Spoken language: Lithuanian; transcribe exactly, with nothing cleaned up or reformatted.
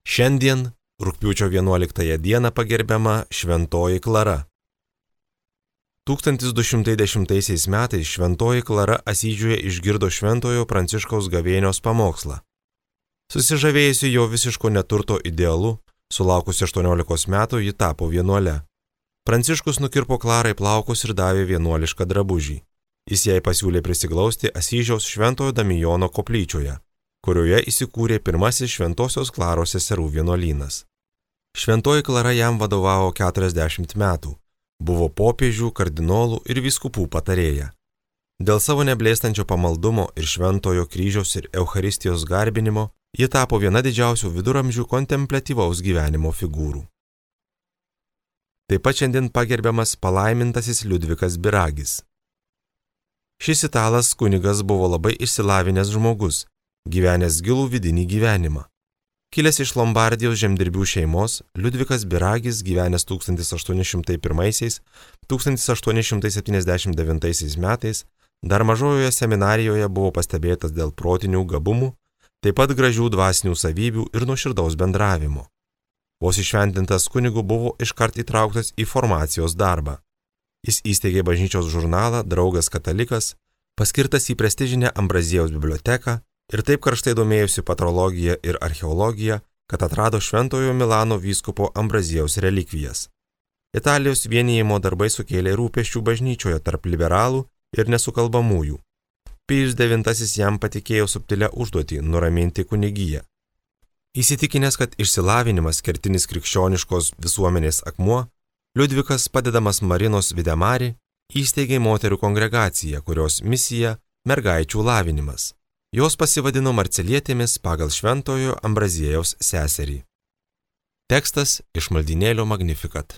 Šiandien, rugpjūčio vienuoliktąją dieną pagerbiama Šventoji Klara. tūkstantis du šimtai dešimtaisiais metais Šventoji Klara Asyžiuje išgirdo Šventojo Pranciškaus gavėnios pamokslą. Susižavėjusi jo visiško neturto idealu, sulaukusi aštuoniolikos metų ji tapo vienuole. Pranciškus nukirpo Klarai plaukus ir davė vienuolišką drabužį. Jis jai pasiūlė prisiglausti Asyžiaus Šventojo Damijono koplyčioje, kurioje įsikūrė pirmasis Šventosios Klaros seserų vienuolynas. Šventoji Klara jam vadovavo keturiasdešimt metų, buvo popiežių, kardinolų ir vyskupų patarėja. Dėl savo neblėstančio pamaldumo ir Šventojo kryžiaus ir Eucharistijos garbinimo, ji tapo viena didžiausių viduramžių kontempliatyvaus gyvenimo figūrų. Taip pat šiandien pagerbiamas palaimintasis Liudvikas Biragis. Šis italas kunigas buvo labai išsilavinęs žmogus, gyvenęs gilų vidinį gyvenimą. Kilęs iš Lombardijos žemdirbių šeimos, Liudvikas Biragis gyvenęs tūkstantis aštuoni šimtai pirmaisiais - tūkstantis aštuoni šimtai septyniasdešimt devintaisiais metais dar mažojoje seminarijoje buvo pastebėtas dėl protinių gabumų, taip pat gražių dvasinių savybių ir nuoširdaus bendravimo. Vos iššventintas kunigu buvo iškart įtrauktas į formacijos darbą. Jis įsteigė bažnyčios žurnalą Draugas katalikas, paskirtas į prestižinę Ambraziejaus biblioteką ir taip karštai domėjusi patrologija ir archeologija, kad atrado Šventojo Milano vyskupo Ambraziejaus relikvijas. Italijos vienijimo darbai sukėlė rūpesčių bažnyčioje tarp liberalų ir nesukalbamųjų. Pijus devintasis jam patikėjo subtilę užduotį nuraminti kunigiją. Įsitikinęs, kad išsilavinimas kertinis krikščioniškos visuomenės akmuo, Liudvikas, padedamas Marinos Videmari, įsteigė moterų kongregaciją, kurios misija – mergaičių lavinimas. Jos pasivadino Marcelietėmis pagal Šventojo Ambraziejaus seserį. Tekstas iš maldynėlio Magnificat.